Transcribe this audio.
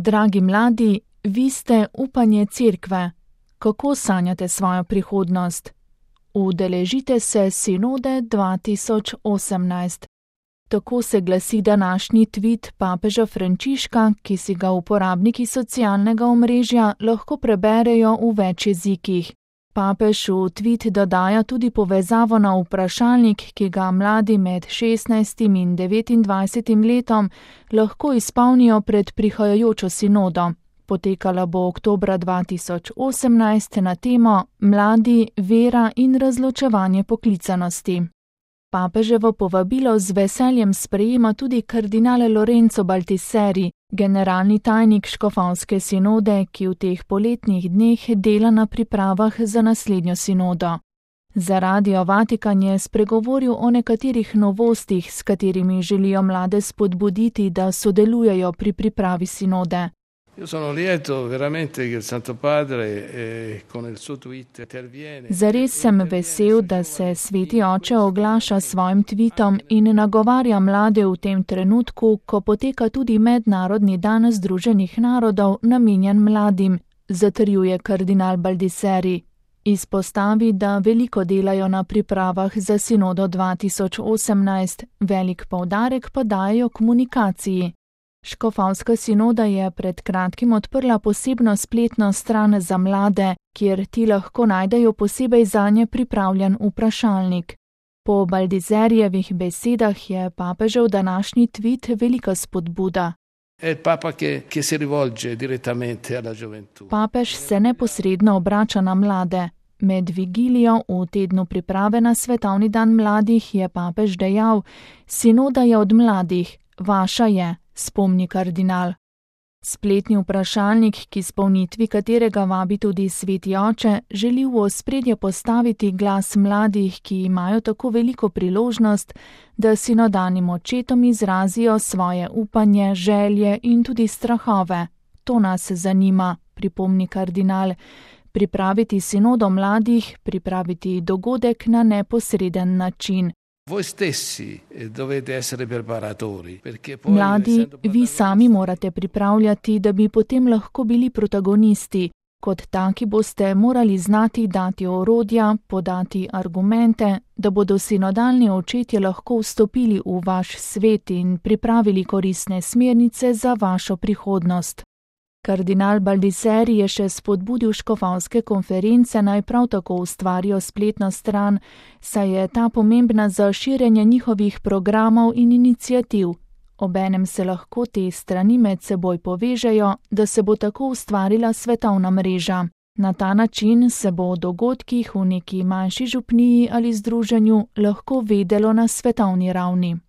Dragi mladi, vi ste upanje cerkve. Kako sanjate svojo prihodnost? Udeležite se Sinode 2018. Tako se glasi današnji tvit papeža Frančiška, ki si ga uporabniki socialnega omrežja lahko preberejo v več jezikih. Papež v tvit dodaja tudi povezavo na vprašalnik, ki ga mladi med 16. in 29. letom lahko izpolnijo pred prihajajočo sinodo. Potekala bo oktobra 2018 na temo Mladi, vera in razločevanje poklicanosti. Papeževo povabilo z veseljem sprejema tudi kardinal Lorenzo Baltiseri, generalni tajnik škofovske sinode, ki v teh poletnih dneh dela na pripravah za naslednjo sinodo. Za Radio Vatikan je spregovoril o nekaterih novostih, s katerimi želijo mlade spodbuditi, da sodelujejo pri pripravi sinode. Zares sem vesel, da se Sveti Oče oglaša s svojim tvitom in nagovarja mlade v tem trenutku, ko poteka tudi Mednarodni dan Združenih narodov namenjen mladim, zatrjuje kardinal Baltiseri. Izpostavi, da veliko delajo na pripravah za sinodo 2018, velik poudarek pa dajo komunikaciji. Škofovska sinoda je pred kratkim odprla posebno spletno stran za mlade, kjer ti lahko najdejo posebej zanje pripravljen vprašalnik. Po Baltiserijevih besedah je papežev današnji tvit velika spodbuda. Papež se neposredno obrača na mlade. Med vigilijo v tednu priprave na Svetovni dan mladih je papež dejal: "Sinoda je od mladih, vaša je", spomni kardinal. Spletni vprašalnik, k izpolnitvi katerega vabi tudi Sveti Oče, želi v ospredje postaviti glas mladih, ki imajo tako veliko priložnost, da sinodalnim očetom izrazijo svoje upanje, želje in tudi strahove. To nas zanima, pripomni kardinal. Pripraviti sinodo mladih, pripraviti dogodek na neposreden način. Mladi, vi sami morate pripravljati, da bi potem lahko bili protagonisti. Kot taki boste morali znati dati orodja, podati argumente, da bodo sinodalni očetje lahko vstopili v vaš svet in pripravili koristne smernice za vašo prihodnost. Kardinal Baltiseri je še spodbudil škofovske konference naj prav tako ustvarijo spletno stran, saj je ta pomembna za širjenje njihovih programov in iniciativ. Obenem se lahko te strani med seboj povežejo, da se bo tako ustvarila svetovna mreža. Na ta način se bo o dogodkih v neki manjši župniji ali združenju lahko vedelo na svetovni ravni.